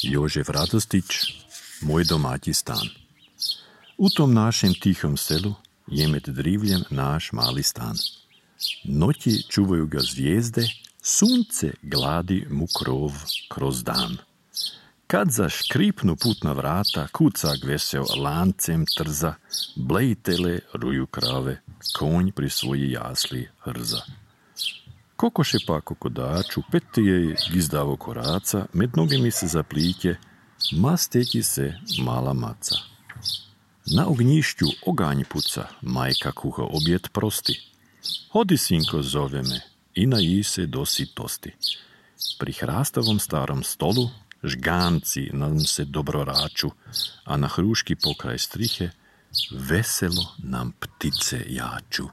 Jožef Radostić, Moj domaći stan. U tom našem tihom selu je med drivljem naš mali stan. Noći čuvaju ga zvijezde, sunce gladi mu krov kroz dan. Kad zaškripnu putna vrata, kucak veseo lancem trza, blejtele ruju krave, konj pri svoji jasli hrza. Kokoše pa kokodaču, petije gizdavo koraca, med noge mi se zaplitje, masteki se mala maca. Na ognjišću oganj puca, majka kuha objed prosti. Hodi, sinko, zove me i naji se do sitosti. Pri hrastavom starom stolu žganci nam se dobro raču, a na hruški pokraj strihe veselo nam ptice jaču.